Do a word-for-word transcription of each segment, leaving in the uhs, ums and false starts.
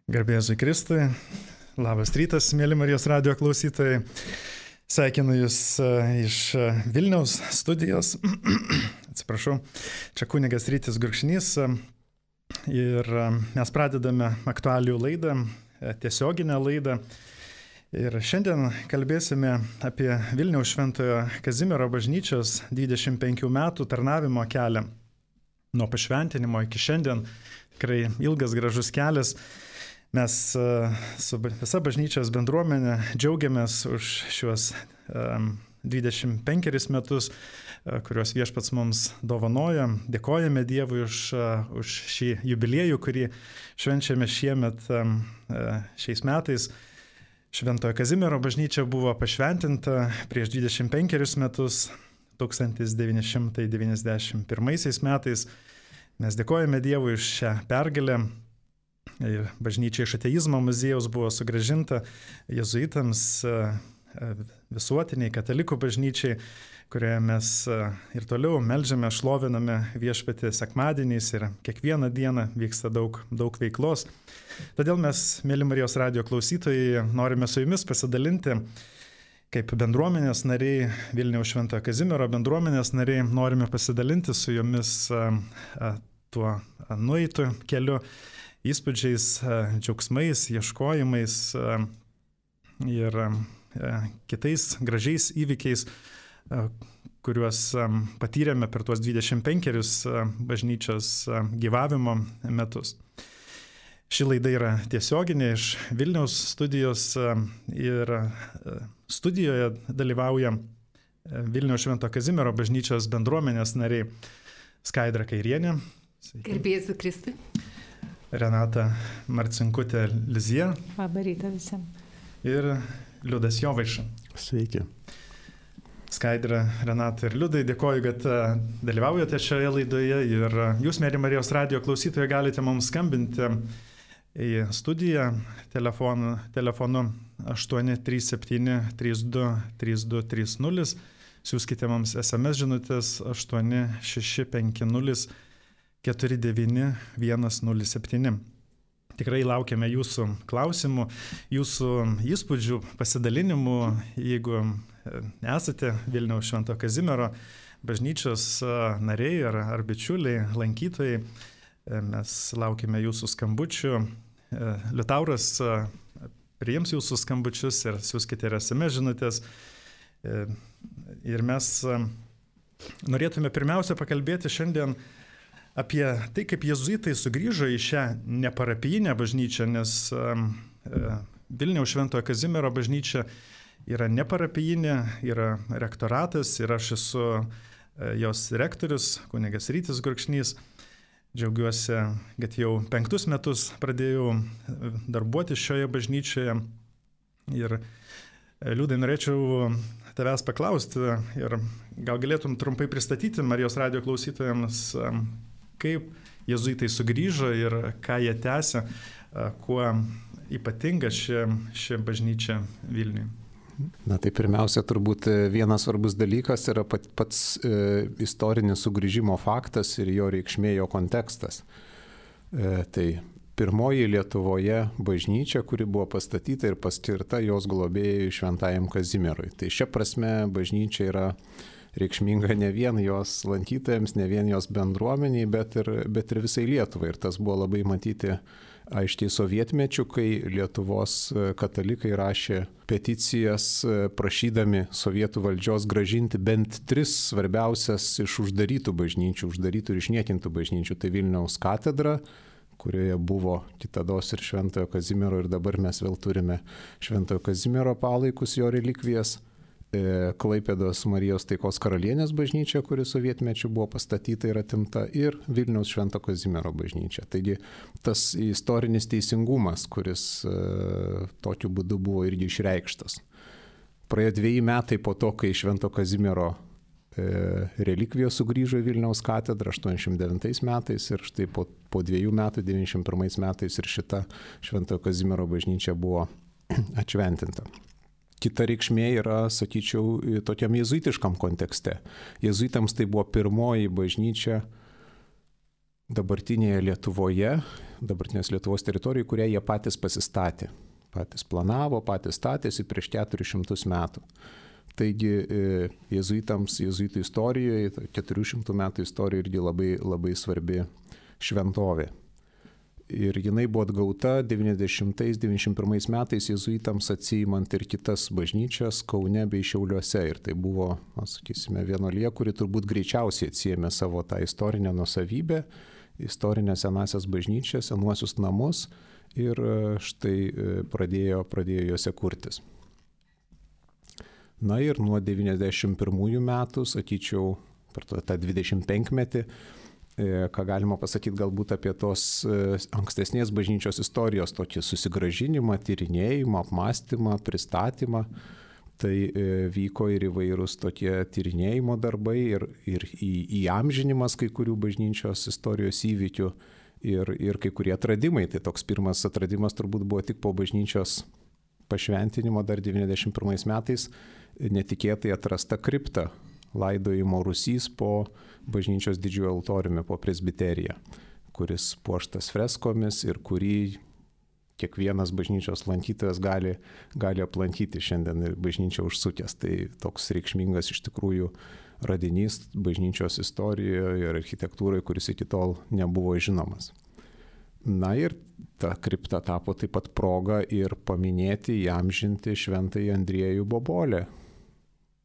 Garbė Jėzui Kristui, labas rytas, mėly Marijos radijo klausytojai. Sveikinu Jūs iš Vilniaus studijos. Atsiprašau, čia kunigas Rytis Gurkšnys. Ir mes pradedame aktualijų laidą, tiesioginę laidą. Ir šiandien kalbėsime apie Vilniaus Šventojo Kazimiero bažnyčios dvidešimt penkių metų tarnavimo kelią. Nuo pašventinimo iki šiandien tikrai ilgas gražus kelias. Mes su visa bažnyčios bendruomenė džiaugiamės už šiuos dvidešimt penkerius metus, kuriuos Viešpats mums dovanoja. Dėkojame Dievui už, už šį jubiliejų, kurį švenčiame šiemet šiais metais. Šventojo Kazimiero bažnyčia buvo pašventinta prieš dvidešimt penkerius metus, tūkstantis devyni šimtai devyniasdešimt pirmaisiais metais. Mes dėkojame Dievui už šią pergalę. Bažnyčia iš ateizmo muziejaus buvo sugrąžinta jėzuitams, visuotiniai katalikų bažnyčiai, kurioje mes ir toliau meldžiame, šloviname Viešpatį sekmadieniais ir kiekvieną dieną vyksta daug, daug veiklos. Todėl mes, mėly Marijos radijo klausytojai, norime su jumis pasidalinti, kaip bendruomenės nariai, Vilniaus Šventojo Kazimiero bendruomenės nariai, norime pasidalinti su jumis tuo nueitu keliu, įspūdžiais, džiaugsmais, ieškojimais ir kitais gražiais įvykiais, kuriuos patyrėme per tuos dvidešimt penkerius bažnyčios gyvavimo metus. Ši laida yra tiesioginė iš Vilniaus studijos ir studijoje dalyvauja Vilniaus Švento Kazimiero bažnyčios bendruomenės nariai Skaidra Kairienė. Garbė Jėzui Kristui. Renata Marcinkutė Lizija. Labą rytą visiems. Ir Liudas Jovaiša. Sveiki. Skaidra, Renata ir Liudai, dėkoju, kad dalyvaujate šioje laidoje ir jūs, mėly Marijos radijo klausytojai, galite mums skambinti į studiją telefonu, telefonu aštuoni trys septyni trys du trys du trys nulis. Siųskite mums es em es žinutės aštuoni šeši penki nulis keturi devyni vienas nulis septyni. Tikrai laukiame jūsų klausimų, jūsų įspūdžių, pasidalinimų. Jeigu esate Vilniaus Švento Kazimiero bažnyčios nariai ar, ar bičiuliai, lankytojai, mes laukiame jūsų skambučių. Liutauras priims jūsų skambučius ir siųskite es em es žinutės. Ir mes norėtume pirmiausia pakalbėti šiandien apie tai, kaip jėzuitai sugrįžo į šią neparapijinę bažnyčią, nes Vilniaus Šventojo Kazimiero bažnyčia yra neparapijinė, yra rektoratas ir aš esu jos rektorius, kunigas Rytis Gurkšnys. Džiaugiuosi, kad jau penktus metus pradėjau darbuoti šioje bažnyčioje. Ir Liudai, norėčiau tavęs paklausti ir gal galėtum trumpai pristatyti Marijos radijo klausytojams, kaip jėzuitai sugrįžo ir ką jie tęsia, kuo ypatinga ši, ši bažnyčia Vilniuje. Na tai pirmiausia, turbūt vienas svarbus dalykas yra pat, pats e, istorinis sugrįžimo faktas ir jo reikšmė, jo kontekstas. E, tai pirmoji Lietuvoje bažnyčia, kuri buvo pastatyta ir paskirta jos globėjui Šventajam Kazimierui. Tai šia prasme bažnyčia yra reikšminga ne vien jos lankytojams, ne vien jos bendruomeniai, bet ir, bet ir visai Lietuvai. Ir tas buvo labai matyti aiškiai sovietmečių, kai Lietuvos katalikai rašė peticijas prašydami sovietų valdžios grąžinti bent tris svarbiausias iš uždarytų bažnyčių, uždarytų ir išniekintų bažnyčių. Tai Vilniaus katedra, kurioje buvo kitados ir Šventojo Kazimiero, ir dabar mes vėl turime Šventojo Kazimiero palaikus, jo relikvijas. Klaipėdos Marijos Taikos karalienės bažnyčia, kuri sovietmečiu buvo pastatyta ir atimta, ir Vilniaus Švento Kazimiero bažnyčia. Taigi tas istorinis teisingumas, kuris e, tokiu būdu buvo irgi išreikštas. Praėjo dviejai metai po to, kai Švento Kazimiero e, relikvijos sugrįžo į Vilniaus katedrą aštuoniasdešimt devintais metais ir štai po, po dviejų metų, devyniasdešimt pirmais metais ir šita Švento Kazimiero bažnyčia buvo atšventinta. Kita reikšmė yra, sakyčiau, tokiam jėzuitiškam kontekste. Jėzuitams tai buvo pirmoji bažnyčia dabartinėje Lietuvoje, dabartinės Lietuvos teritorijoje, kurią jie patys pasistatė. Patys planavo, patys statėsi prieš keturis šimtus metų. Taigi jėzuitams, jėzuitų istorijoje, keturių šimtų metų istorijoje irgi labai, labai svarbi šventovė. Ir jinai buvo atgauta devyniasdešimtais devyniasdešimt pirmais metais jėzuitams atsiimant ir kitas bažnyčias Kaune bei Šiauliuose. Ir tai buvo, na, sakysime, vienuolija, kuri turbūt greičiausiai atsiėmė savo tą istorinę nuosavybę, istorinę senasias bažnyčias, senuosius namus ir štai pradėjo, pradėjo juose kurtis. Na ir nuo devyniasdešimt pirmųjų metų, sakyčiau, per tą dvidešimt penkmetį, ką galima pasakyti galbūt apie tos ankstesnės bažnyčios istorijos tokį susigrąžinimą, tyrinėjimą, apmąstymą, pristatymą. Tai vyko ir įvairūs tokie tyrinėjimo darbai ir, ir į, įamžinimas kai kurių bažnyčios istorijos įvykių ir, ir kai kurie atradimai. Tai toks pirmas atradimas turbūt buvo tik po bažnyčios pašventinimo dar devyniasdešimt pirmais metais netikėtai atrasta kripta laidojimo Rūsys po bažnyčios didžiojo altoriumi, po presbiteriją, kuris puoštas freskomis ir kurį kiekvienas bažnyčios lankytojas gali, gali aplankyti šiandien bažnyčią užsukęs. Tai toks reikšmingas iš tikrųjų radinys bažnyčios istorijoje ir architektūroje, kuris iki tol nebuvo žinomas. Na ir ta kripta tapo taip pat proga ir paminėti, įamžinti šventąjį Andriejų Bobolę,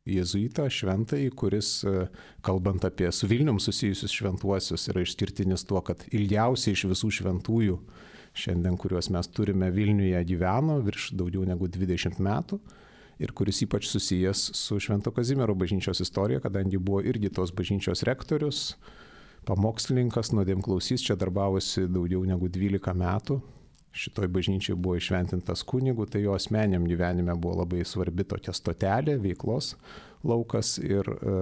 jėzuitą šventąjį, kuris, kalbant apie su Vilnium susijusius šventuosius, yra išskirtinis tuo, kad ilgiausiai iš visų šventųjų šiandien, kuriuos mes turime Vilniuje, gyveno virš daugiau negu dvidešimt metų ir kuris ypač susijęs su Švento Kazimiero bažnyčios istorija, kadangi buvo irgi tos bažnyčios rektorius, pamokslininkas, nuodėmklausys, čia darbavosi daugiau negu dvylika metų. Šitoj bažnyčiai buvo išventintas kunigų, tai jo asmeniam gyvenime buvo labai svarbi tokia stotelė, veiklos laukas ir e,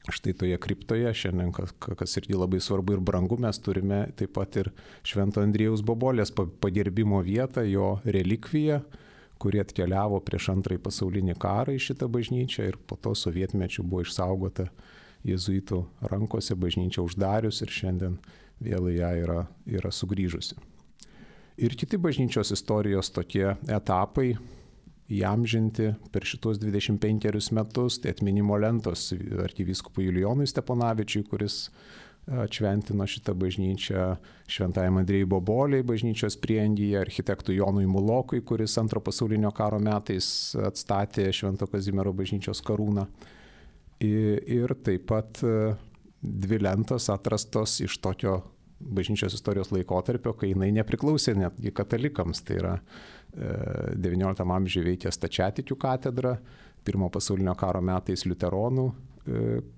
štai toje kriptoje šiandien, kas, kas irgi labai svarbu ir brangu, mes turime taip pat ir Švento Andriejaus Bobolės pagerbimo vietą, jo relikviją, kuri atkeliavo prieš antrąjį pasaulinį karą į šitą bažnyčią ir po to sovietmečiu buvo išsaugota jėzuitų rankose, bažnyčia uždarius ir šiandien vėl į ją yra, yra sugrįžusi. Ir kiti bažnyčios istorijos tokie etapai įamžinti per šitos dvidešimt penkerius metus, tai atminimo lentos arkivyskupui Julijonui Steponavičiui, kuris atšventino šitą bažnyčią, šventajam Andriejui Boboliai bažnyčios prieangyje, architektui Jonui Mulokui, kuris antro pasaulinio karo metais atstatė Švento Kazimiero bažnyčios karūną. Ir taip pat dvi lentos atrastos iš tokio bažnyčios istorijos laikotarpio, kai jinai nepriklausė netgi katalikams. Tai yra devynioliktam amžiuje veikė Stačiatikių katedra, pirmo pasaulinio karo metais liuteronų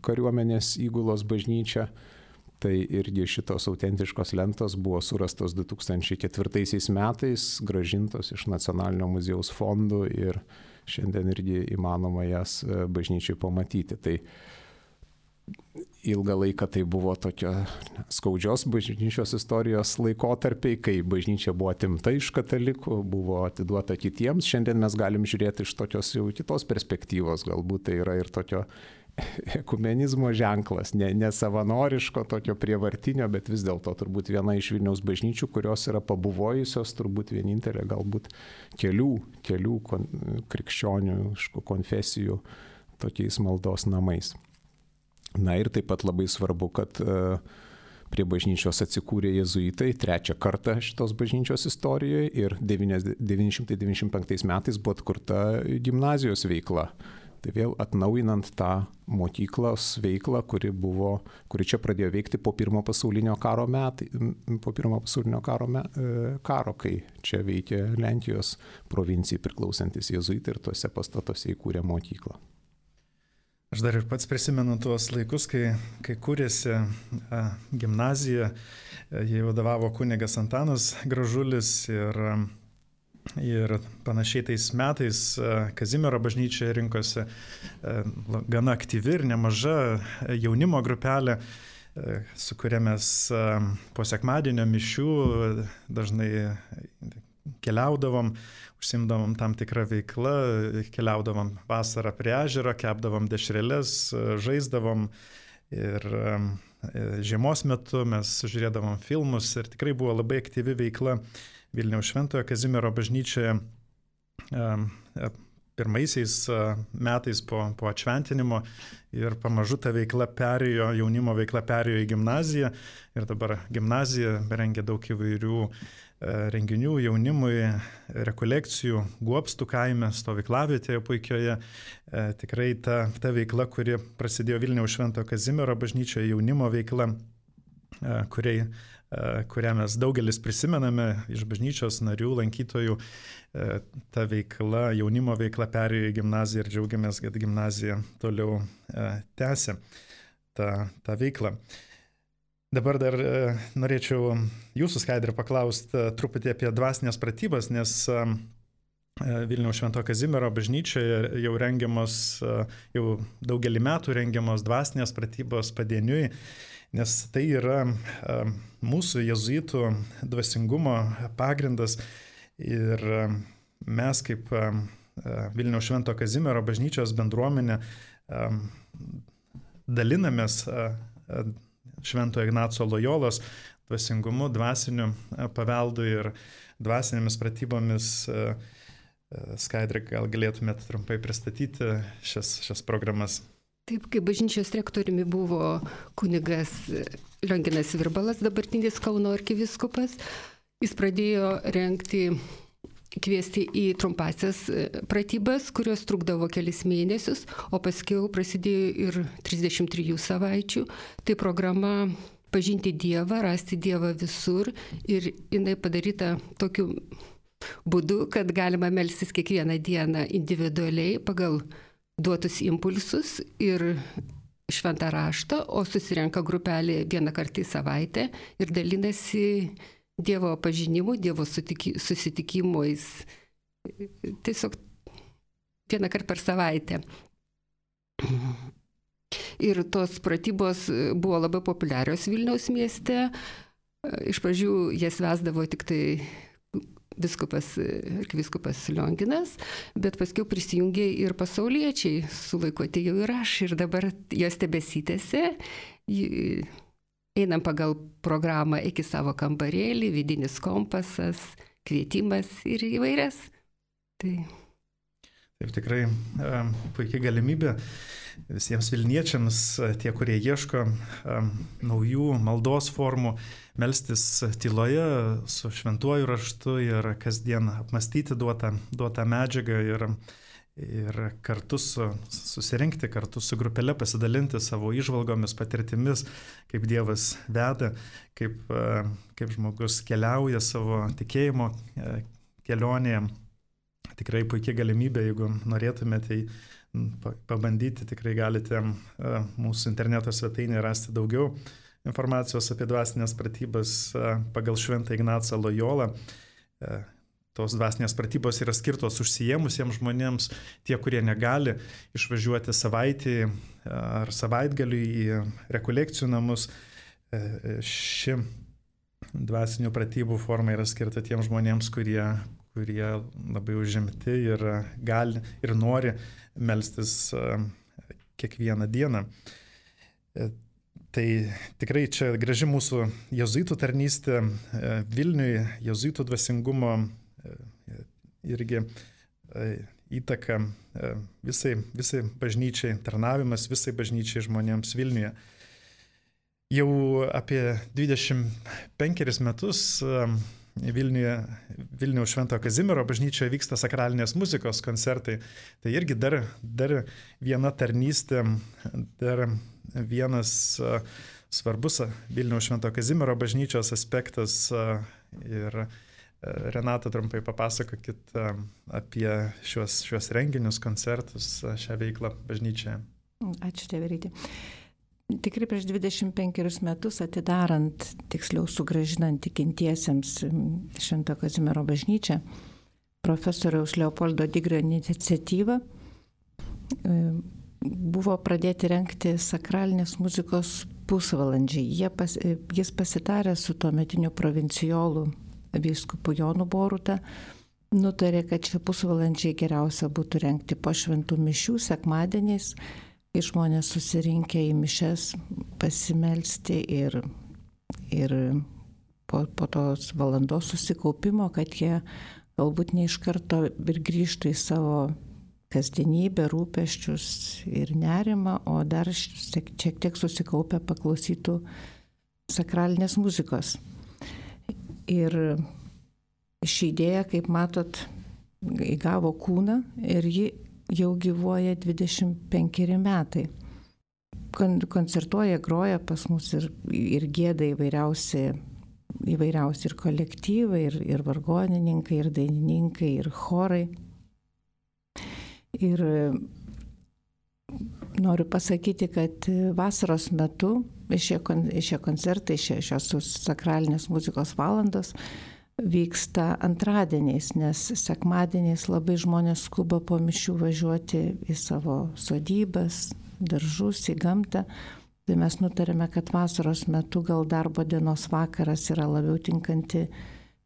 kariuomenės įgulos bažnyčia. Tai irgi šitos autentiškos lentos buvo surastos du tūkstančiai ketvirtaisiais metais, grąžintos iš Nacionalinio muziejaus fondų ir šiandien irgi įmanoma jas bažnyčiai pamatyti. Tai ilgą laiką tai buvo tokio skaudžios bažnyčios istorijos laikotarpiai, kai bažnyčia buvo atimta iš katalikų, buvo atiduota kitiems. Šiandien mes galim žiūrėti iš tokios jau kitos perspektyvos, galbūt tai yra ir tokio ekumenizmo ženklas, ne, ne savanoriško, tokio prievartinio, bet vis dėlto turbūt viena iš Vilniaus bažnyčių, kurios yra pabuvojusios, turbūt vienintelė galbūt kelių, kelių kon, krikščioniškų konfesijų tokiais maldos namais. Na ir taip pat labai svarbu, kad prie bažnyčios atsikūrė jėzuitai trečią kartą šitos bažnyčios istorijoje ir devyni šimtai devyniasdešimt penktais metais buvo atkurta gimnazijos veikla. Tai vėl atnaujinant tą mokyklos veiklą, kuri, buvo, kuri čia pradėjo veikti po pirmo pasaulinio karo metai, po pirmo pasaulinio karo, me, karo, kai čia veikė Lenkijos provincijai priklausantis jėzuitai ir tuose pastatuose įkūrė mokyklą. Aš dar ir pats prisimenu tuos laikus, kai, kai kūrėsi a, gimnazija, jai vadovavo kunigas Antanas Gražulis ir, ir panašiai tais metais a, Kazimiero bažnyčia rinkosi a, gana aktyvi ir nemaža jaunimo grupelė, a, su kuria mes a, po sekmadienio mišių dažnai keliaudavom, užsimdavom tam tikrą veiklą, keliaudavom vasarą prie ežero, kepdavom dešreles, žaisdavom ir žiemos metu mes žiūrėdavom filmus ir tikrai buvo labai aktyvi veikla Vilniaus Šventojo Kazimiero bažnyčioje pirmaisiais metais po, po atšventinimo ir pamažu ta veikla perėjo, jaunimo veikla perėjo į gimnaziją ir dabar gimnazija rengia daug įvairių renginių jaunimui, rekolekcijų, Guobstų kaime, stovyklavietėje puikioje. Tikrai ta, ta veikla, kuri prasidėjo Vilniaus Šventojo Kazimiero bažnyčioje, jaunimo veikla, kuriai, kurią mes daugelis prisimename iš bažnyčios narių, lankytojų, ta veikla, jaunimo veikla perėjo į gimnaziją ir džiaugiamės, kad gimnazija toliau tęsia tą, tą veiklą. Dabar dar norėčiau jūsų, Skaidra, paklausti truputį apie dvasinės pratybas, nes Vilniaus Šventojo Kazimiero bažnyčioje jau rengiamos, jau daugelį metų rengiamos dvasinės pratybos padieniui, nes tai yra mūsų jėzuitų dvasingumo pagrindas ir mes kaip Vilniaus Šventojo Kazimiero bažnyčios bendruomenė dalinamės Šventojo Ignaco Lojolos dvasingumu, dvasiniu paveldu ir dvasinėmis pratybomis. Skaidra, gal galėtumėte trumpai pristatyti šias, šias programas? Taip, kaip bažnyčios rektoriumi buvo kunigas Lionginas Virbalas, dabartinis Kauno arkiviskupas, jis pradėjo rengti, kviesti į trumpasias pratybas, kurios trukdavo kelis mėnesius, o paskiau prasidėjo ir trisdešimt trijų savaičių. Tai programa Pažinti Dievą, rasti Dievą visur ir jinai padaryta tokiu būdu, kad galima melstis kiekvieną dieną individualiai pagal duotus impulsus ir šventą raštą, o susirenka grupelė vieną kartą į savaitę ir dalinasi Dievo pažinimu, Dievo susitikimais, tiesiog vieną kartą per savaitę. Ir tos pratybos buvo labai populiarios Vilniaus mieste. Iš pradžių jas vesdavo tik tai viskupas, arkivyskupas Lionginas, bet paskiau prisijungė ir pasauliečiai, su laiku atėjau ir aš, ir dabar jos tebesitėsi. Einam pagal programą iki savo kambarėlį, vidinis kompasas, kvietimas ir įvairias. Tai... Taip, tikrai e, puikiai galimybė visiems vilniečiams, tie, kurie ieško e, naujų maldos formų, melstis tyloje su šventuoju raštu ir kasdien apmastyti duotą, duotą medžiagą ir ir kartu su, susirinkti, kartu su grupelė pasidalinti savo įžvalgomis, patirtimis, kaip Dievas veda, kaip, kaip žmogus keliauja savo tikėjimo kelionėje. Tikrai puikia galimybė, jeigu norėtumėte pabandyti, tikrai galite mūsų interneto svetainėje rasti daugiau informacijos apie dvasinės pratybas pagal Šventą Ignacą Lojolą. Tos dvasinės pratybos yra skirtos užsiėmusiems žmonėms, tie, kurie negali išvažiuoti savaitį ar savaitgaliui į rekolekcijų namus. Ši dvasinių pratybų forma yra skirta tiems žmonėms, kurie, kurie labai užimti ir gali ir nori melstis kiekvieną dieną. Tai tikrai čia graži mūsų jėzuitų tarnystė Vilniui, jėzuitų dvasingumo irgi įtaka visai, visai bažnyčiai, tarnavimas visai bažnyčiai žmonėms Vilniuje. Jau apie dvidešimt penkerius metus Vilniuje, Vilniaus Šventojo Kazimiero bažnyčioje vyksta sakralinės muzikos koncertai. Tai irgi dar, dar viena tarnystė, dar vienas svarbus Vilniaus Šventojo Kazimiero bažnyčios aspektas. Ir Renata, trumpai papasakokit apie šios, šios renginius, koncertus, šią veiklą bažnyčioje. Ačiū, Tėverytė. Tikrai prieš dvidešimt penkerius metus atidarant, tiksliau sugrąžinant tikintiesiems Šventojo Kazimiero bažnyčią, profesoriaus Leopoldo Digrio iniciatyva buvo pradėti rengti sakralinės muzikos pusvalandžiai. Jie pas, jis pasitarė su tuometiniu provincijolu vyskupu Jonu Boruta, nutarė, kad šie pusvalandžiai geriausia būtų rengti po šventų mišių sekmadieniais kai žmonės susirinkę į mišes pasimelsti ir, ir po, po tos valandos susikaupimo, kad jie galbūt ne iš karto ir grįžtų į savo kasdienybę, rūpesčius ir nerimą, o dar šiek tiek susikaupę paklausytų sakralinės muzikos. Ir ši idėja, kaip matot, įgavo kūną ir ji jau gyvuoja dvidešimt penkeri metai. Koncertuoja, groja pas mus ir, ir gėda įvairiausi, įvairiausi ir kolektyvai, ir, ir vargonininkai, ir dainininkai, ir chorai. Ir noriu pasakyti, kad vasaros metu šie, šie koncertai, šie, šios sakralinės muzikos valandos vyksta antradieniais, nes sekmadieniais labai žmonės skuba po mišių važiuoti į savo sodybas, daržus, į gamtą. Tai mes nutarėme, kad vasaros metu gal darbo dienos vakaras yra labiau tinkanti,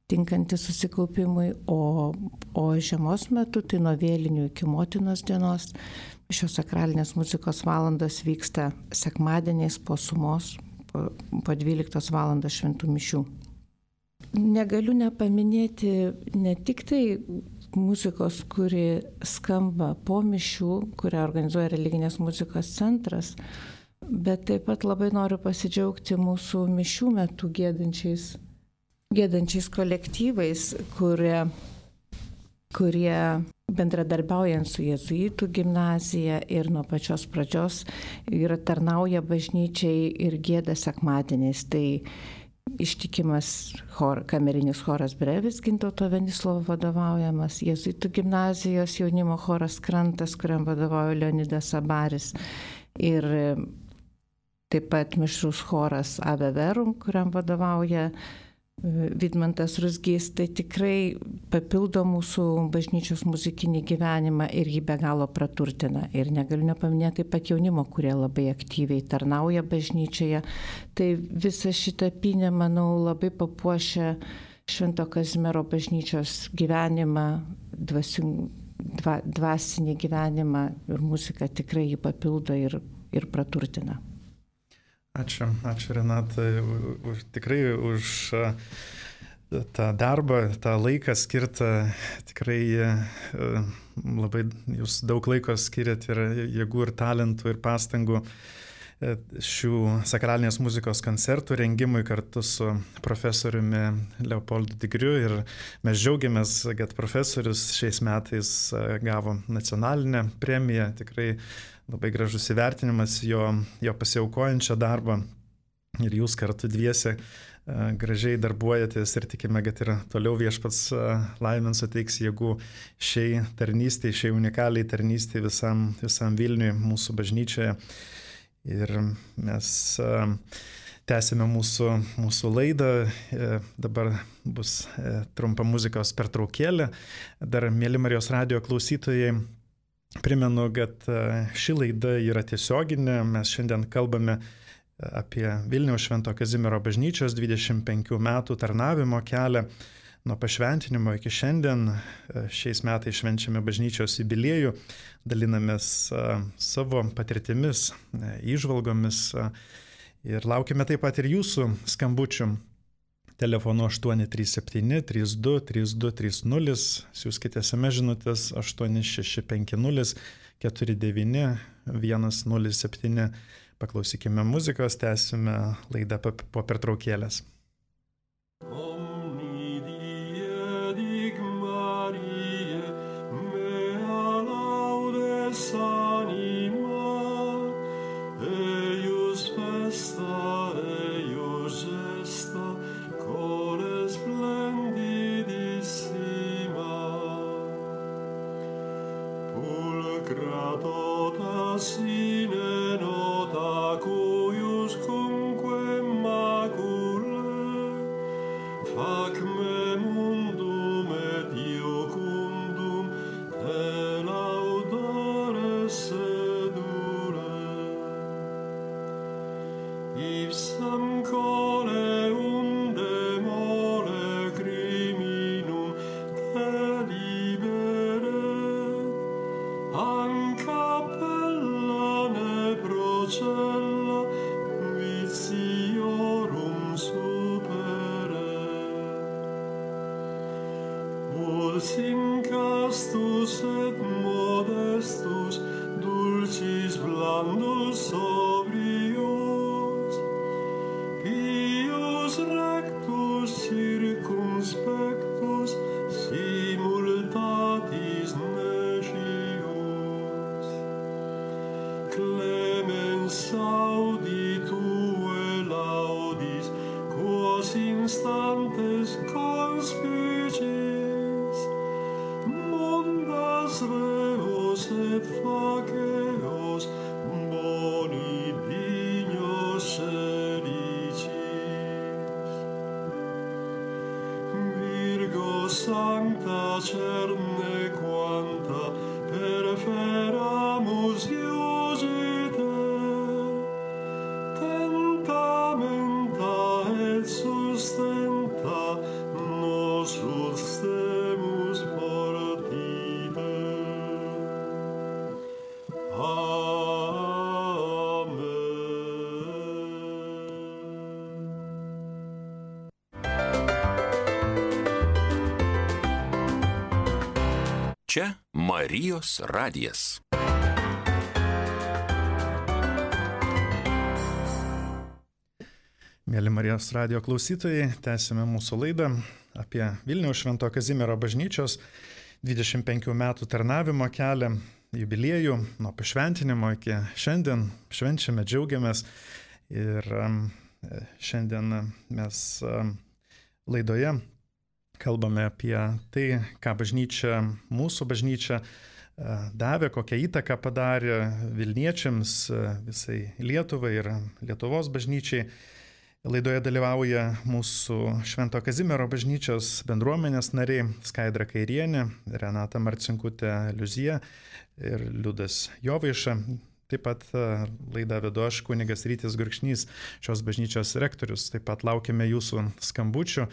tinkanti susikaupimui, o, o žiemos metu, tai nuo vėlinių iki motinos dienos, šios sakralinės muzikos valandos vyksta sekmadieniais po sumos, po, po dvyliktos valandos šventų mišių. Negaliu nepaminėti ne tik tai muzikos, kuri skamba po mišių, kurią organizuoja religinės muzikos centras, bet taip pat labai noriu pasidžiaugti mūsų mišių metu gėdančiais, gėdančiais kolektyvais, kurie, kurie bendradarbiaujant su jėzuitų gimnazija ir nuo pačios pradžios yra tarnauja bažnyčiai ir gėda sekmadieniais. Tai ištikimas chor, kamerinis choras Brevis, Gintauto Venislovo vadovaujamas, jėzuitų gimnazijos jaunimo choras Krantas, kuriam vadovauja Leonidas Abaris, ir taip pat mišrus choras Ave Verum, kuriam vadovauja Vidmantas Ruzgys. Tai tikrai papildo mūsų bažnyčios muzikinį gyvenimą ir jį be galo praturtina. Ir negaliu nepaminėti taip pat jaunimo, kurie labai aktyviai tarnauja bažnyčioje. Tai visą šitą pynę, manau, labai papuošia Švento Kazimiero bažnyčios gyvenimą, dvasing, dva, dvasinį gyvenimą, ir muzika tikrai jį papildo ir, ir praturtina. Ačiū, ačiū Renatai, už, tikrai už tą darbą, tą laiką skirtą, tikrai labai jūs daug laiko skiriat ir jėgų, ir talentų, ir pastangų šių sakralinės muzikos koncertų rengimui kartu su profesoriumi Leopoldu Digriu, ir mes džiaugiamės, kad profesorius šiais metais gavo nacionalinę premiją, tikrai labai gražus įvertinimas jo, jo pasiaukojančią darbą, ir jūs kartu dviese gražiai darbuojatės ir tikime, kad ir toliau viešpats laimins suteiks jėgų šiai tarnystei, šiai unikaliai tarnystei visam, visam Vilniui, mūsų bažnyčioje. Ir mes tęsime mūsų, mūsų laidą, dabar bus trumpa muzikos pertraukėlė. Dar, mėly Marijos radijo klausytojai, primenu, kad ši laida yra tiesioginė. Mes šiandien kalbame apie Vilniaus Švento Kazimiero bažnyčios dvidešimt penkių metų tarnavimo kelią nuo pašventinimo iki šiandien. Šiais metais švenčiame bažnyčios jubiliejų, dalinamės savo patirtimis, įžvalgomis ir laukime taip pat ir jūsų skambučių. Telefonu aštuoni trys septyni trys du trys du trys nulis, siųskite es em es žinutės aštuoni šeši penki nulis keturi devyni vienas nulis septyni. Paklausykime muzikos, tęsime laidą po pertraukėlės. Quos incastus et modestus, dulcis blandus sobrios, pius rectus circumspectus, simultatis necius. Clemens audi tue laudis, quos instantes conspicis, mundas reos et faceos, boni dignos sedicis. Virgo sancta cerne quanta, perferamus iugite, tentamenta et sustenta, nos sustemus portite. Amen. Čia Marijos radijas. Mėly Marijos radijo klausytojai, tęsime mūsų laidą apie Vilniaus Švento Kazimiero bažnyčios dvidešimt penkių metų tarnavimo kelią, jubiliejų, nuo pašventinimo iki šiandien. Švenčiame, džiaugiamės ir šiandien mes laidoje kalbame apie tai, ką bažnyčia, mūsų bažnyčia davė, kokią įtaką padarė Vilniečiams, visai Lietuvai ir Lietuvos bažnyčiai. Laidoje dalyvauja mūsų Švento Kazimiero bažnyčios bendruomenės nariai Skaidra Kairienė, Renata Marcinkutė Liuzija ir Liudas Jovaiša. Taip pat laidą vedu aš, kunigas Rytis Gurkšnys, šios bažnyčios rektorius. Taip pat laukiame jūsų skambučių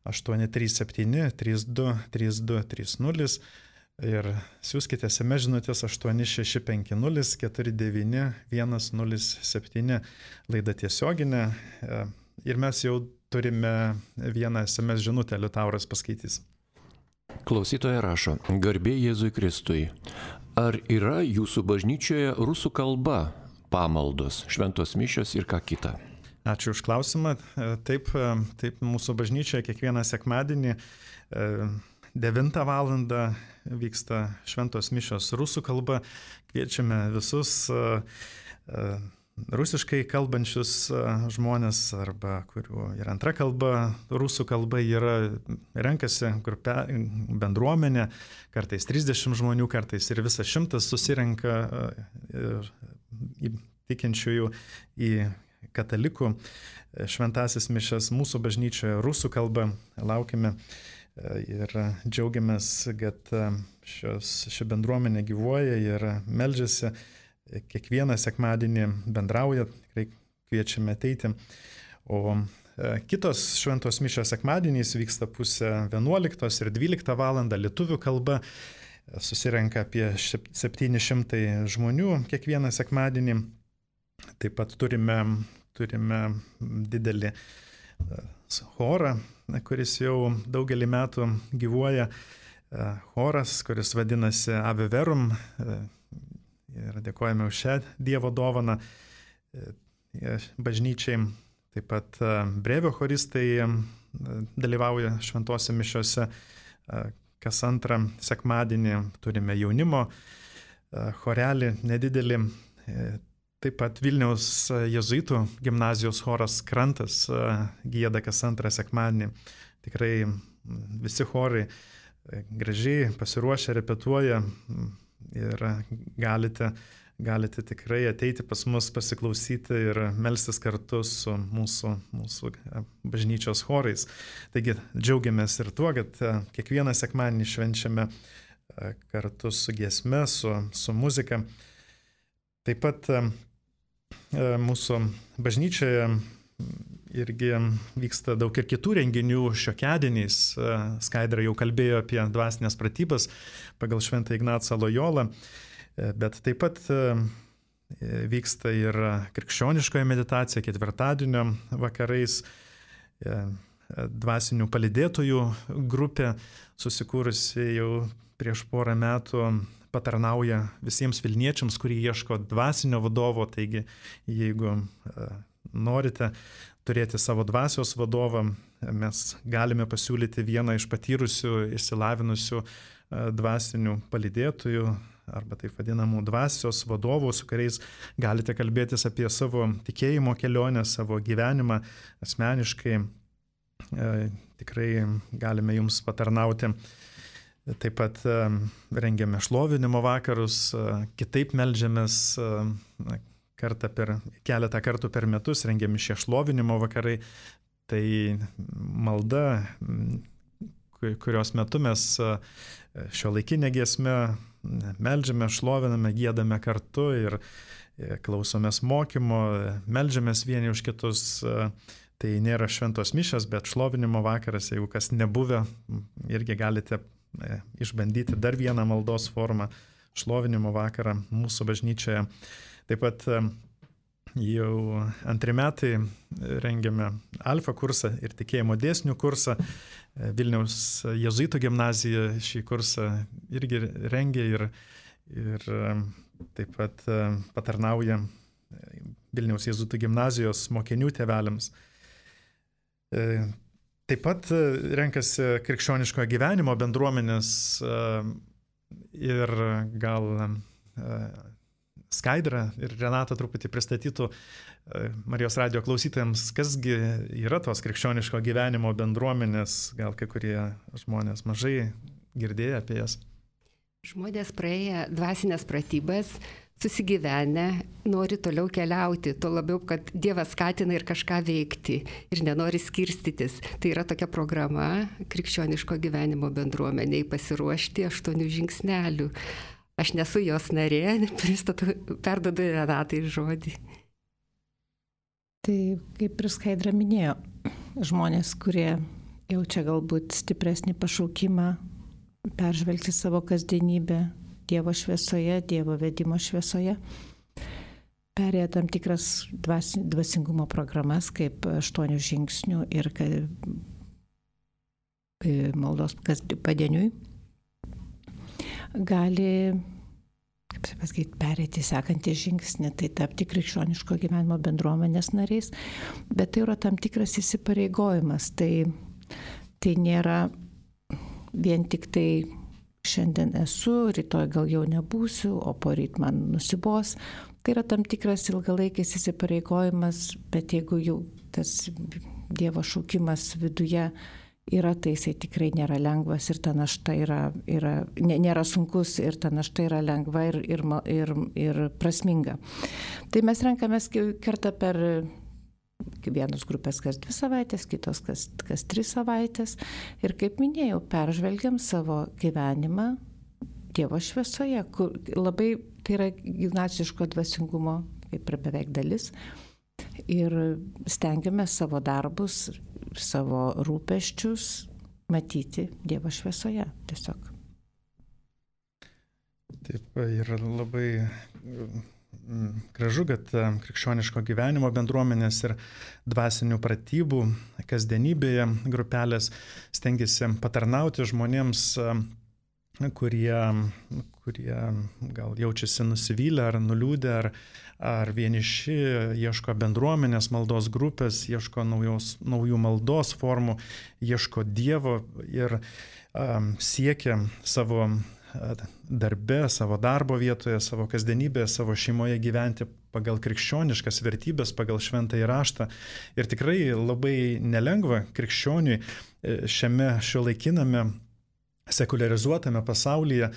aštuoni trys septyni trys du trys du trys nulis ir siųskite es em es žinutės aštuoni šeši penki nulis keturi devyni vienas nulis septyni. Laida tiesioginė ir mes jau turime vieną es em es žinutę, Liutauras paskaitys. Klausytoja rašo: Garbė Jėzui Kristui. Ar yra jūsų bažnyčioje rusų kalba pamaldos, šventos mišios ir ką kita? Ačiū už klausimą. Taip, taip mūsų bažnyčioje kiekvieną sekmadienį devintą valandą vyksta šventos mišios rusų kalba. Kviečiame visus rusiškai kalbančius žmonės arba kurių ir antra kalba, rusų kalba yra, renkasi grupė, bendruomenė, kartais trisdešimt žmonių, kartais ir visas šimtas susirenka tikinčiųjų į katalikų šventasis mišias mūsų bažnyčioje rusų kalba. Laukime ir džiaugiamės, kad šios, ši bendruomenė gyvuoja ir meldžiasi. Kiekvieną sekmadienį bendrauja, tikrai kviečiame ateiti. O kitos šventos mišios sekmadieniais vyksta pusę vienuoliktos ir dvyliktą valandą lietuvių kalba. Susirenka apie septyni šimtai žmonių kiekvieną sekmadienį. Taip pat turime, turime didelį chorą, kuris jau daugelį metų gyvuoja. Choras, kuris vadinasi Ave Verum. Ir dėkojame už šią Dievo dovaną bažnyčiai. Taip pat brevio choristai dalyvauja šventose mišiose. Kas antrą sekmadienį turime jaunimo chorelį nedidelį. Taip pat Vilniaus jėzuitų gimnazijos choras Krantas gieda kas antrą sekmadienį. Tikrai visi chorai gražiai pasiruošę, repetuoja ir galite, galite tikrai ateiti pas mus pasiklausyti ir melstis kartu su mūsų, mūsų bažnyčios chorais. Taigi džiaugiamės ir tuo, kad kiekvieną sekmadienį švenčiame kartu su giesme, su, su muzika. Taip pat mūsų bažnyčioje irgi vyksta daug ir kitų renginių šiokiadieniais. Skaidra jau kalbėjo apie dvasinės pratybas pagal Šventą Ignacą Lojolą, bet taip pat vyksta ir krikščioniškoji meditacija ketvirtadienio vakarais. dvasinių palydėtojų grupė, susikūrusi jau prieš porą metų, patarnauja visiems Vilniečiams, kurie ieško dvasinio vadovo. Taigi, jeigu norite turėti savo dvasios vadovą, mes galime pasiūlyti vieną iš patyrusių, išsilavinusių dvasinių palydėtojų arba taip vadinamų dvasios vadovų, su kuriais galite kalbėtis apie savo tikėjimo kelionę, savo gyvenimą asmeniškai. Tikrai galime jums patarnauti. Taip pat rengiame šlovinimo vakarus, kitaip meldžiamės kartą per, keletą kartų per metus, rengiami šie šlovinimo vakarai. Tai malda, kurios metu mes šiuolaikinę giesmę meldžiame, šloviname, giedame kartu ir klausomės mokymo, meldžiamės vieni už kitus. Tai nėra šventos mišios, bet šlovinimo vakaras, jeigu kas nebuvę, irgi galite išbandyti dar vieną maldos formą, šlovinimo vakarą mūsų bažnyčioje. Taip pat jau antri metai rengiame alfa kursą ir tikėjimo dėsnių kursą. Vilniaus jėzuitų gimnazija šį kursą irgi rengia ir, ir taip pat patarnauja Vilniaus jėzuitų gimnazijos mokinių tėveliams. Taip pat renkasi krikščioniško gyvenimo bendruomenės ir gal Skaidra ir Renata truputį pristatytų Marijos radijo klausytojams, kasgi yra tos krikščioniško gyvenimo bendruomenės, gal kai kurie žmonės mažai girdėję apie jas. Žmonės praėję dvasinės pratybas, susigyvenę, nori toliau keliauti, tuo labiau, kad Dievas skatina ir kažką veikti ir nenori skirstytis. Tai yra tokia programa krikščioniško gyvenimo bendruomeniai pasiruošti aštuonių žingsnelių. Aš nesu jos narė, pristatu, perdodu Renatai žodį. Tai kaip ir Skaidra minėjo, žmonės, kurie jaučia galbūt stipresnį pašaukimą peržvelgti savo kasdienybę Dievo šviesoje, Dievo vedimo šviesoje, perėję tam tikras dvas, dvasingumo programas kaip aštuonių žingsnių ir maldos padieniui, gali, kaip pasakyti, perėti sekantį žingsnį, tai tapti krikščioniško gyvenimo bendruomenės nariais, bet tai yra tam tikras įsipareigojimas, tai, tai nėra vien tik tai šiandien esu, rytoj gal jau nebūsiu, o poryt man nusibos. Tai yra tam tikras ilgalaikis įsipareigojimas, bet jeigu jau tas Dievo šaukimas viduje yra, tai jisai tikrai nėra lengvas ir ta našta yra, yra nėra sunkus ir ta našta yra lengva ir, ir, ir, ir prasminga. Tai mes renkamės kartą per vienos grupės kas dvi savaitės, kitos kas, kas tris savaitės. Ir kaip minėjau, peržvelgiam savo gyvenimą Dievo šviesoje, kur labai tai yra ignaciško dvasingumo, kaip ir beveik dalis. Ir stengiamės savo darbus, savo rūpesčius matyti Dievo šviesoje tiesiog. Taip, ir labai gražu, kad krikščioniško gyvenimo bendruomenės ir dvasinių pratybų kasdienybėje grupelės stengiasi patarnauti žmonėms, kurie, kurie gal jaučiasi nusivylę ar nuliūdę, ar, ar vieniši, ieško bendruomenės maldos grupės, ieško naujos, naujų maldos formų, ieško Dievo ir um, siekia savo darbe, savo darbo vietoje, savo kasdienybėje, savo šeimoje gyventi pagal krikščioniškas vertybės, pagal šventąjį raštą. Ir tikrai labai nelengva krikščioniui šiame šiuolaikiname sekuliarizuotame pasaulyje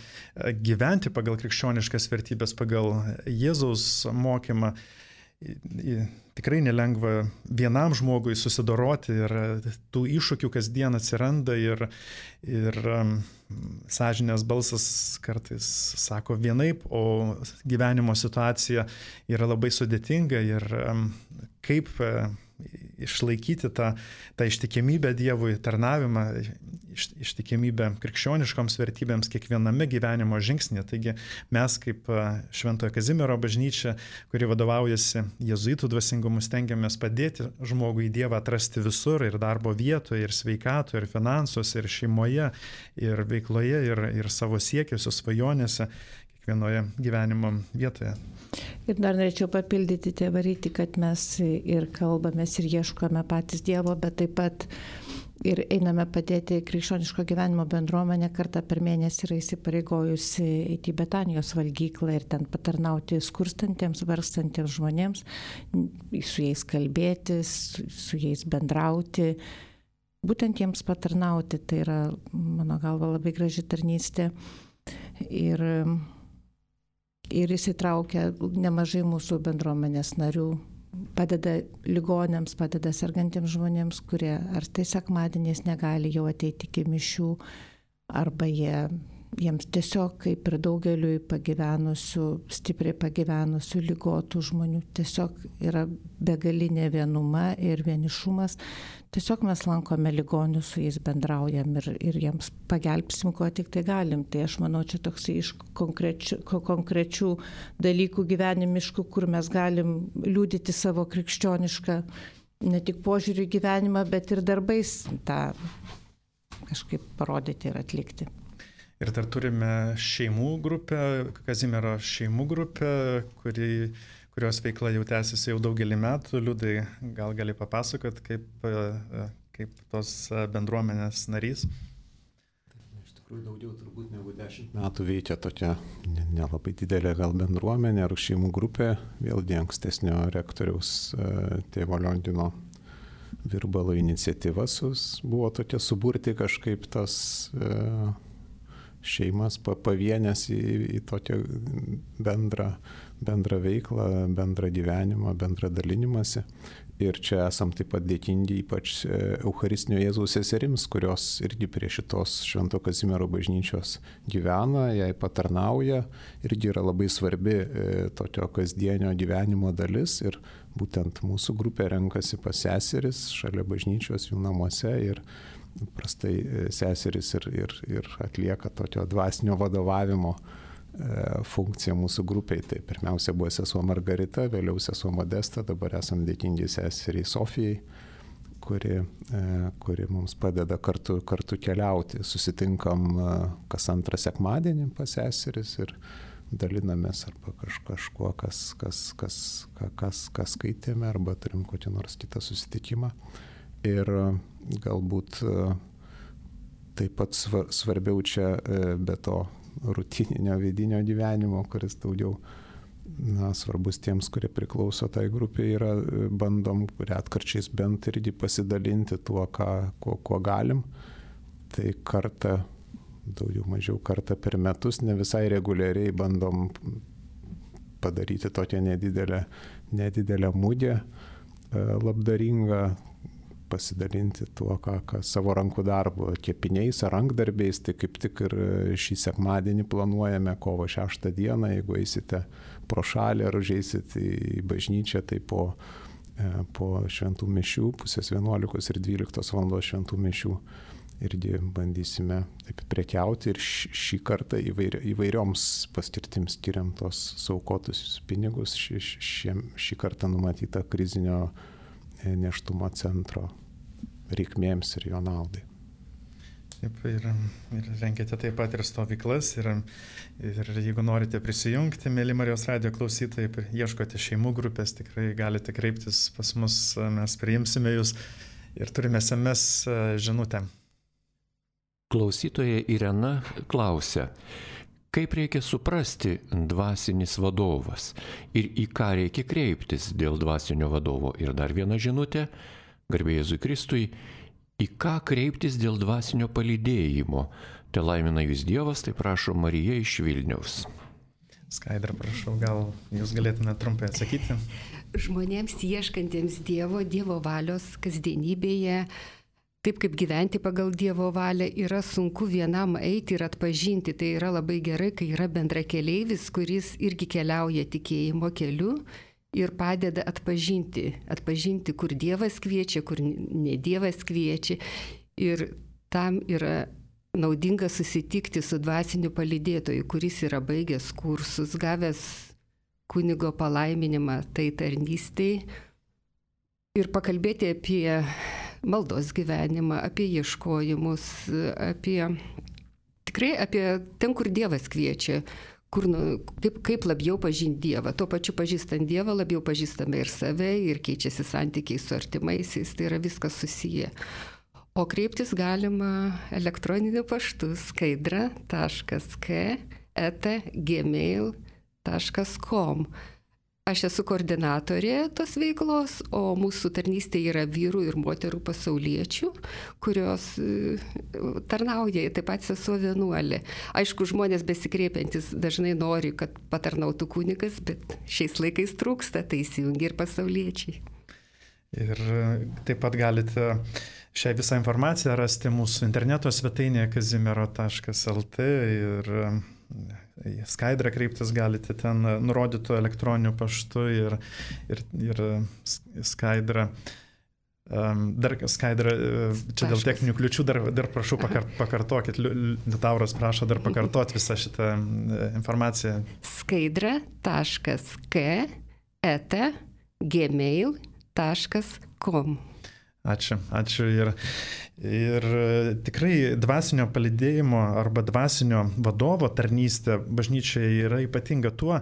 gyventi pagal krikščioniškas vertybės, pagal Jėzaus mokymą. Tikrai nelengva vienam žmogui susidoroti ir tų iššūkių kasdien atsiranda ir, ir sąžinės balsas kartais sako vienaip, o gyvenimo situacija yra labai sudėtinga ir kaip išlaikyti tą, tą ištikimybę Dievui, tarnavimą, iš, ištikimybę krikščioniškoms vertybėms kiekviename gyvenimo žingsnėje. Taigi mes kaip Šventojo Kazimiero bažnyčia, kuri vadovaujasi jėzuitų dvasingumu, stengiamės padėti žmogui Dievą atrasti visur, ir darbo vietoje, ir sveikatoje, ir finansuose, ir šeimoje, ir veikloje, ir, ir savo siekiuose, svajonėse, kiekvienoje gyvenimo vietoje. Ir dar norėčiau papildyti tėvą Rytį, kad mes ir kalbamės ir ieškome patys Dievo, bet taip pat ir einame padėti krikščioniško gyvenimo bendruomenė. Kartą per mėnesį yra įsipareigojusi eiti į Betanijos valgyklą ir ten patarnauti skurstantiems, vargstantiems žmonėms, su jais kalbėtis, su, su jais bendrauti, būtent jiems patarnauti. Tai yra, mano galva, labai graži tarnystė. Ir ir įsitraukia nemažai mūsų bendruomenės narių, padeda ligonėms, padeda sergantiems žmonėms, kurie ar tai sekmadieniais negali jau ateiti iki mišių, arba jie, jiems tiesiog, kaip ir daugeliui pagyvenusių, stipriai pagyvenusių, ligotų žmonių, tiesiog yra begalinė vienuma ir vienišumas. Tiesiog mes lankome ligonius, su jais bendraujam ir, ir jiems pagelbsim, ko tik tai galim. Tai aš manau, čia toks iš konkrečių, konkrečių dalykų gyvenimiškų, kur mes galim liudyti savo krikščionišką ne tik požiūrį į gyvenimą, bet ir darbais tą kažkaip parodyti ir atlikti. Ir dar turime šeimų grupę, Kazimiero šeimų grupę, kuri kurios veikla jau tęsiasi jau daugelį metų. Liudai, gal gali papasakot, kaip, kaip tos bendruomenės narys? Iš tikrųjų daugiau turbūt negu dešimt metų veikia tokia nelabai didelė gal bendruomenė ar šeimų grupė, vėlgi ankstesnio rektoriaus tėvo Liongino Virbalo iniciatyva buvo tokia suburti kažkaip tas šeimas pavienės į, į tokią bendrą, bendrą veiklą, bendrą gyvenimą, bendrą dalinimąsi. Ir čia esam taip pat dėkingi ypač Eucharistinio Jėzaus seserims, kurios irgi prie šitos Švento Kazimiero bažnyčios gyvena, jai patarnauja, irgi yra labai svarbi tokio kasdienio gyvenimo dalis. Ir būtent mūsų grupė renkasi pas seseris šalia bažnyčios jų namuose ir prastai seseris ir, ir, ir atlieka tokio dvasinio vadovavimo funkciją mūsų grupiai. Tai pirmiausia buvo sesuo Margarita, vėliau sesuo Modesta, dabar esam dėkingi seseriai Sofijai, kuri, kuri mums padeda kartu, kartu keliauti. Susitinkam kas antrą sekmadienį pas seseris ir dalinamės arba kaž, kažkuo, kas, kas, kas, kas, kas skaitėme, arba turim kokį nors kitą susitikimą. Ir galbūt taip pat svarbiau čia be to rutininio vidinio gyvenimo, kuris daugiau na, svarbus tiems, kurie priklauso tai grupiai, yra bandom retkarčiais bent irgi pasidalinti tuo, ką, kuo, kuo galim. Tai kartą, daugiau mažiau kartą per metus, ne visai reguliariai bandom padaryti tokią nedidelę, nedidelę mugę labdaringą, pasidalinti tuo, ką, ką savo rankų darbo, kepiniais ar rankdarbiais. Tai kaip tik ir šį sekmadienį planuojame kovo šeštą dieną, jeigu eisite pro šalį ar užeisit į bažnyčią, tai po, po šventų mišių, pusės vienuolikos ir dvyliktos valandos šventų mišių irgi bandysime taip prekiauti ir šį kartą įvairi, įvairioms paskirtims skiriam tos saukotus pinigus. Šį, šį, šį kartą numatyta krizinio nėštumo centro reikmėms ir jo naudai. Taip, ir, ir rengiate taip pat ir stovyklas, ir, ir jeigu norite prisijungti, mėly Marijos radijo klausytojai, ieškote šeimų grupės, tikrai galite kreiptis pas mus, mes priimsime jūs ir turime es em es žinutę. Klausytoja Irena klausia, kaip reikia suprasti dvasinis vadovas ir į ką reikia kreiptis dėl dvasinio vadovo. Ir dar viena žinutė, garbė Jėzui Kristui, į ką kreiptis dėl dvasinio palydėjimo. Te laimina jūs Dievas, tai prašo Marija iš Vilniaus. Skaidra, prašau, gal jūs galėtumėte trumpai atsakyti? Žmonėms ieškantiems Dievo, Dievo valios kasdienybėje, taip kaip gyventi pagal Dievo valią, yra sunku vienam eiti ir atpažinti. Tai yra labai gerai, kai yra bendrakeleivis, kuris irgi keliauja tikėjimo keliu ir padeda atpažinti, atpažinti, kur Dievas kviečia, kur ne Dievas kviečia. Ir tam yra naudinga susitikti su dvasiniu palydėtoju, kuris yra baigęs kursus, gavęs kunigo palaiminimą tai tarnystei ir pakalbėti apie maldos gyvenimą, apie ieškojimus, apie tikrai apie ten, kur Dievas kviečia. Kur, nu, kaip, kaip labiau pažinti Dievą. Tuo pačiu pažįstant Dievą labiau pažįstame ir save, ir keičiasi santykiai su artimaisiais, tai yra viskas susiję. O kreiptis galima elektroniniu paštu skaidra taškas k eta gmail taškas com. Aš esu koordinatorė tos veiklos, o mūsų tarnystė yra vyrų ir moterų pasauliečių, kurios tarnauja, taip pat sesuo vienuolė. Aišku, žmonės besikreipiantis dažnai nori, kad patarnautų kunigas, bet šiais laikais trūksta, tai įsijungia ir pasauliečiai. Ir taip pat galite šią visą informaciją rasti mūsų interneto svetainėje kazimiero taškas el t ir Skaidrą kreiptis galite ten nurodytų elektroniniu paštu ir, ir, ir Skaidrą. Dar Skaidrą, čia dėl techninių kliučių dar, dar prašau pakar, pakartokit, Liutauras prašo dar pakartoti visą šitą informaciją. Skaidra taškas k eta gmail taškas com. Ačiū, ačiū. Ir, ir tikrai dvasinio palydėjimo arba dvasinio vadovo tarnystė bažnyčioje yra ypatinga tuo,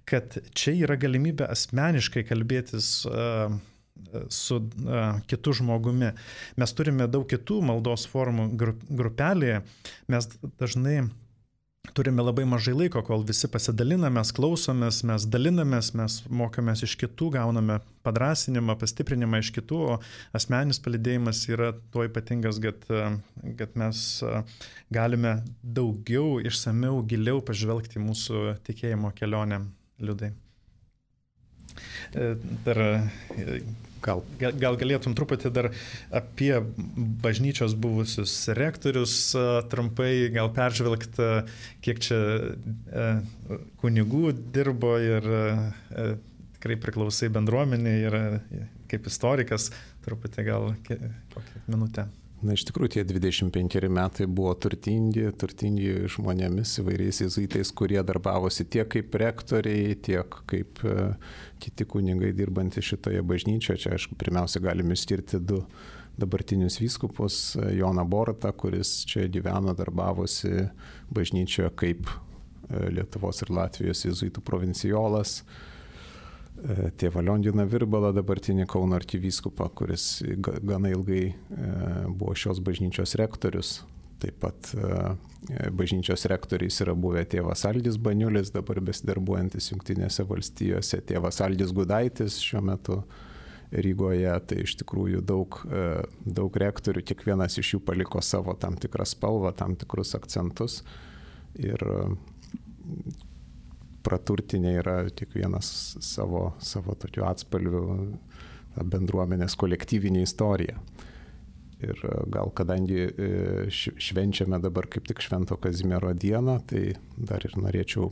kad čia yra galimybė asmeniškai kalbėtis uh, su uh, kitu žmogumi. Mes turime daug kitų maldos formų grupelėje, mes dažnai turime labai mažai laiko, kol visi pasidaliname, mes klausomės, mes dalinamės, mes mokomės iš kitų, gauname padrasinimą, pastiprinimą iš kitų, o asmeninis palydėjimas yra tuo ypatingas, kad, kad mes galime daugiau, išsamiau, giliau pažvelgti mūsų tikėjimo kelionę, Liudai. Dar gal, gal galėtum truputį dar apie bažnyčios buvusius rektorius trumpai, gal peržvelgti, kiek čia kunigų dirbo ir tikrai priklausai bendruomenė ir kaip istorikas, truputį gal kokią minutę. Na, iš tikrųjų, tie dvidešimt penkeri metai buvo turtingi, turtingi žmonėmis, įvairiais jėzuitais, kurie darbavosi tiek kaip rektoriai, tiek kaip e, kiti kunigai dirbantys šitoje bažnyčioje. Čia, aišku, pirmiausia, galime išskirti du dabartinius vyskupus, Joną Borutą, kuris čia gyveno, darbavosi bažnyčioje kaip e, Lietuvos ir Latvijos jėzuitų provincijolas. Tėvą Lionginą Virbalą, dabartinį Kauno arkivyskupą, kuris gana ilgai buvo šios bažnyčios rektorius. Taip pat bažnyčios rektoriais yra buvę tėvas Aldis Baniulis, dabar besidarbuojantis Jungtinėse valstijose, tėvas Aldis Gudaitis šiuo metu Rygoje. Tai iš tikrųjų daug, daug rektorių, kiekvienas iš jų paliko savo tam tikrą spalvą, tam tikrus akcentus. Ir praturtinė yra kiekvienas savo, savo tokiu atspalviu bendruomenės kolektyvinė istorija. Ir gal kadangi švenčiame dabar kaip tik Švento Kazimiero dieną, tai dar ir norėčiau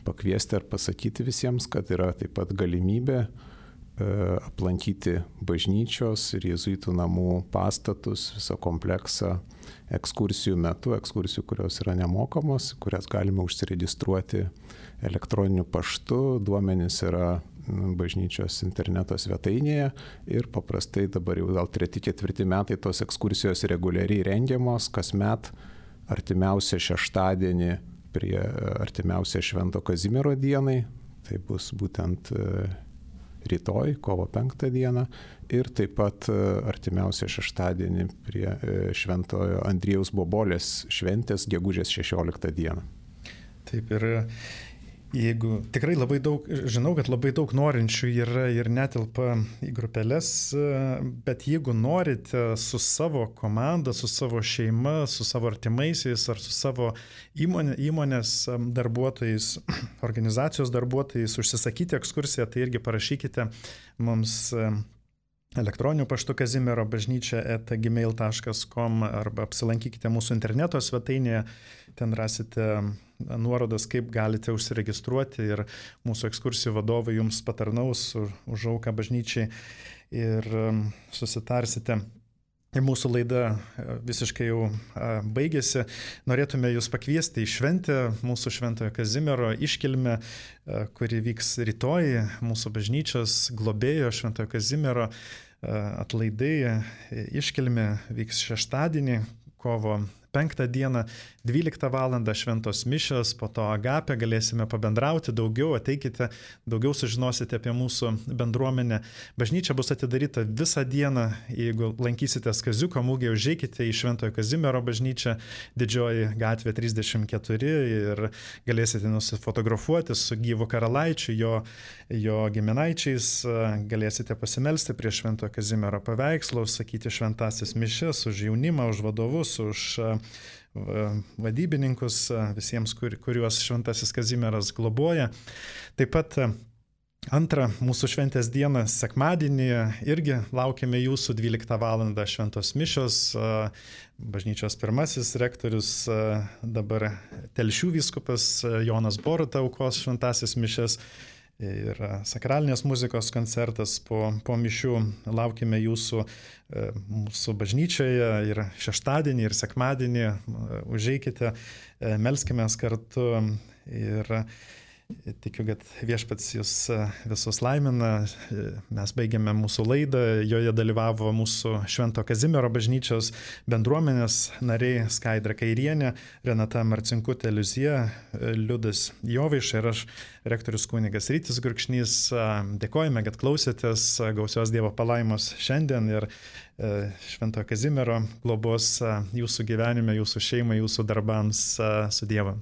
pakviesti ar pasakyti visiems, kad yra taip pat galimybė aplankyti bažnyčios ir jėzuitų namų pastatus, visą kompleksą ekskursijų metu, ekskursijų, kurios yra nemokamos, kurias galime užsiregistruoti elektroniniu paštu, duomenys yra bažnyčios interneto svetainėje ir paprastai dabar jau gal treti, ketvirti metai tos ekskursijos reguliariai rengiamos, kasmet artimiausią šeštadienį prie artimiausią Švento Kazimiero dienai, tai bus būtent rytoj, kovo penktą dieną, ir taip pat artimiausią šeštadienį prie Šventojo Andriejaus Bobolės šventės gegužės šešioliktą dieną. Taip, ir jeigu tikrai labai daug, žinau, kad labai daug norinčių yra ir netilpa į grupelės, bet jeigu norite su savo komanda, su savo šeima, su savo artimaisiais ar su savo įmonė, įmonės darbuotojais, organizacijos darbuotojais užsisakyti ekskursiją, tai irgi parašykite mums elektroniniu paštu kazimiero bažnyčia eta gmail taškas com arba apsilankykite mūsų interneto svetainėje, ten rasite nuorodas, kaip galite užsiregistruoti ir mūsų ekskursijų vadovai jums patarnaus už auką bažnyčiai ir susitarsite. Ir mūsų laida visiškai jau baigėsi. Norėtume jūs pakviesti į šventę, mūsų Šventojo Kazimiero iškilmę, kuri vyks rytoj, mūsų bažnyčios globėjo Šventojo Kazimiero atlaidai. Iškilmė vyks šeštadienį, kovo penktą dieną, dvyliktą valandą šventos mišios, po to agapė, galėsime pabendrauti daugiau, ateikite, daugiau sužinosite apie mūsų bendruomenę. Bažnyčia bus atidaryta visą dieną, jeigu lankysitės Kaziuko mugėje, užeikite į Šventojo Kazimiero bažnyčią, Didžioji gatvė trisdešimt keturi ir galėsite nusifotografuoti su gyvu karalaičiu, jo, jo giminaičiais, galėsite pasimelsti prie Šventojo Kazimiero paveikslo, sakyti šventasis mišias už jaunimą, už vadovus, už vadybininkus, visiems, kur, kuriuos Šventasis Kazimieras globoja. Taip pat antrą mūsų šventės dieną, sekmadienį, irgi laukiame jūsų dvyliktą valandą šventos mišios. Bažnyčios pirmasis rektorius, dabar Telšių vyskupas Jonas Boruta aukos šventasis mišias. Ir sakralinės muzikos koncertas po, po mišių. Laukime jūsų mūsų bažnyčioje ir šeštadienį, ir sekmadienį. Užeikite, melskimės kartu ir tikiu, kad viešpats jūs visus laimina. Mes baigėme mūsų laidą, joje dalyvavo mūsų Švento Kazimiero bažnyčios bendruomenės nariai Skaidra Kairienė, Renata Marcinkutė Liuzija, Liudas Jovaiša ir aš, rektorius kunigas Rytis Gurkšnys. Dėkojame, kad klausėtės, gausios Dievo palaimos šiandien ir Šventojo Kazimiero globos jūsų gyvenime, jūsų šeimai, jūsų darbams. Su Dievu.